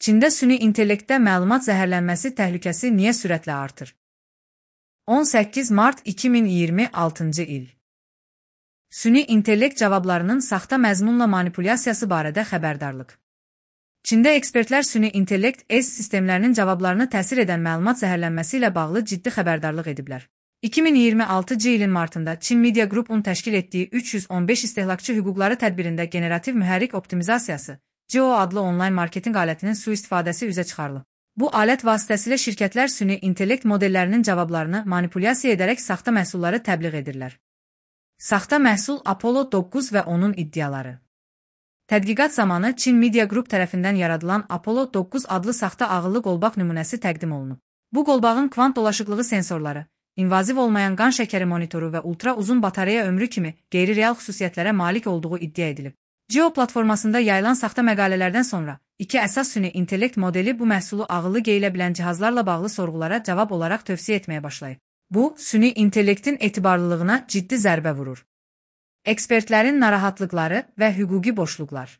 Çində süni intellektdə məlumat zəhərlənməsi təhlükəsi niyə sürətlə artır? 18 mart 2026-cı il. Süni intellekt cavablarının saxta məzmunla manipulyasiyası barədə xəbərdarlıq. Çində ekspertlər süni intellekt sistemlərinin cavablarını təsir edən məlumat zəhərlənməsi ilə bağlı ciddi xəbərdarlıq ediblər. 2026-cı ilin martında Çin Media Group-un təşkil etdiyi 315 istehlakçı hüquqları tədbirində generativ mühərrik optimizasiyası (GEO) adlı onlayn marketinq alətinin sui-istifadəsi üzə çıxarılıb. Bu alət vasitəsilə şirkətlər süni intellekt modellərinin cavablarını manipulyasiya edərək saxta məhsulları təbliğ edirlər. Saxta məhsul Apollo 9 və onun iddiaları. Tədqiqat zamanı Çin Media Group tərəfindən yaradılan Apollo 9 adlı saxta ağıllı qolbaq nümunəsi təqdim olunub. Bu qolbağın kvant dolaşıqlığı sensorları, invaziv olmayan qan şəkəri monitoru və ultra uzun batareya ömrü kimi qeyri-real xüsusiyyətlərə malik olduğu iddia edilib. GEO platformasında yayılan saxta məqalələrdən sonra iki əsas süni intellekt modeli bu məhsulu ağıllı geyilə bilən cihazlarla bağlı sorğulara cavab olaraq tövsiyə etməyə başlayıb. Bu, süni intellektin etibarlılığına ciddi zərbə vurur. Ekspertlərin narahatlıqları və hüquqi boşluqlar.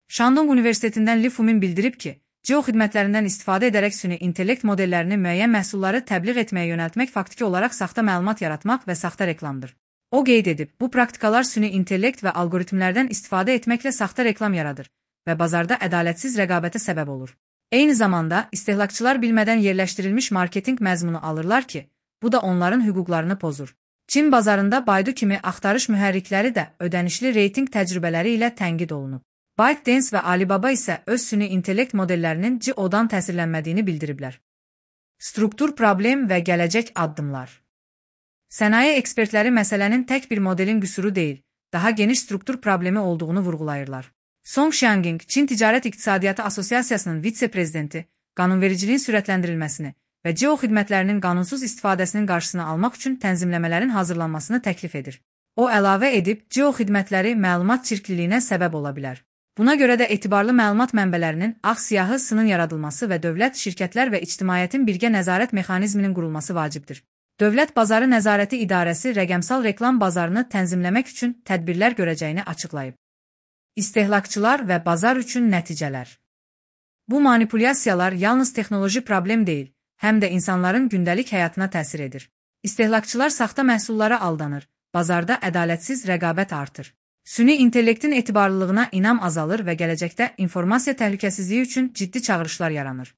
Shandong Universitetindən Li Fumin bildirib ki, GEO xidmətlərindən istifadə edərək süni intellekt modellərini müəyyən məhsulları təbliğ etməyə yönəltmək faktiki olaraq saxta məlumat yaratmaq və saxta reklamdır. O qeyd edib, bu praktikalar süni intellekt və algoritmlərdən istifadə etməklə saxta reklam yaradır və bazarda ədalətsiz rəqabətə səbəb olur. Eyni zamanda, istehlakçılar bilmədən yerləşdirilmiş marketinq məzmunu alırlar ki, bu da onların hüquqlarını pozur. Çin bazarında Baidu kimi axtarış mühərrikləri də ödənişli reytinq təcrübələri ilə tənqid olunub. ByteDance və Alibaba isə öz süni intellekt modellərinin GEO-dan təsirlənmədiyini bildiriblər. Struktur problem və gələcək addımlar. Sənaye ekspertləri məsələnin tək bir modelin qüsuru deyil, daha geniş struktur problemi olduğunu vurğulayırlar. Song Xianging, Çin Ticarət İqtisadiyyatı Asosiasiyasının vitse-prezidenti, qanunvericiliyin sürətləndirilməsini və GEO xidmətlərinin qanunsuz istifadəsinin qarşısını almaq üçün tənzimləmələrin hazırlanmasını təklif edir. O əlavə edib, GEO xidmətləri məlumat çirkliliyinə səbəb ola bilər. Buna görə də etibarlı məlumat mənbələrinin ağ-siyahı sının yaradılması və dövlət, şirkətlər və ictimaiyyətin birgə nəzarət mexanizminin qurulması vacibdir. Dövlət Bazarı Nəzarəti İdarəsi rəqəmsal reklam bazarını tənzimləmək üçün tədbirlər görəcəyini açıqlayıb. İstehlakçılar və bazar üçün nəticələr. Bu manipulyasiyalar yalnız texnoloji problem deyil, həm də insanların gündəlik həyatına təsir edir. İstehlakçılar saxta məhsullara aldanır, bazarda ədalətsiz rəqabət artır. Süni intellektin etibarlılığına inam azalır və gələcəkdə informasiya təhlükəsizliyi üçün ciddi çağırışlar yaranır.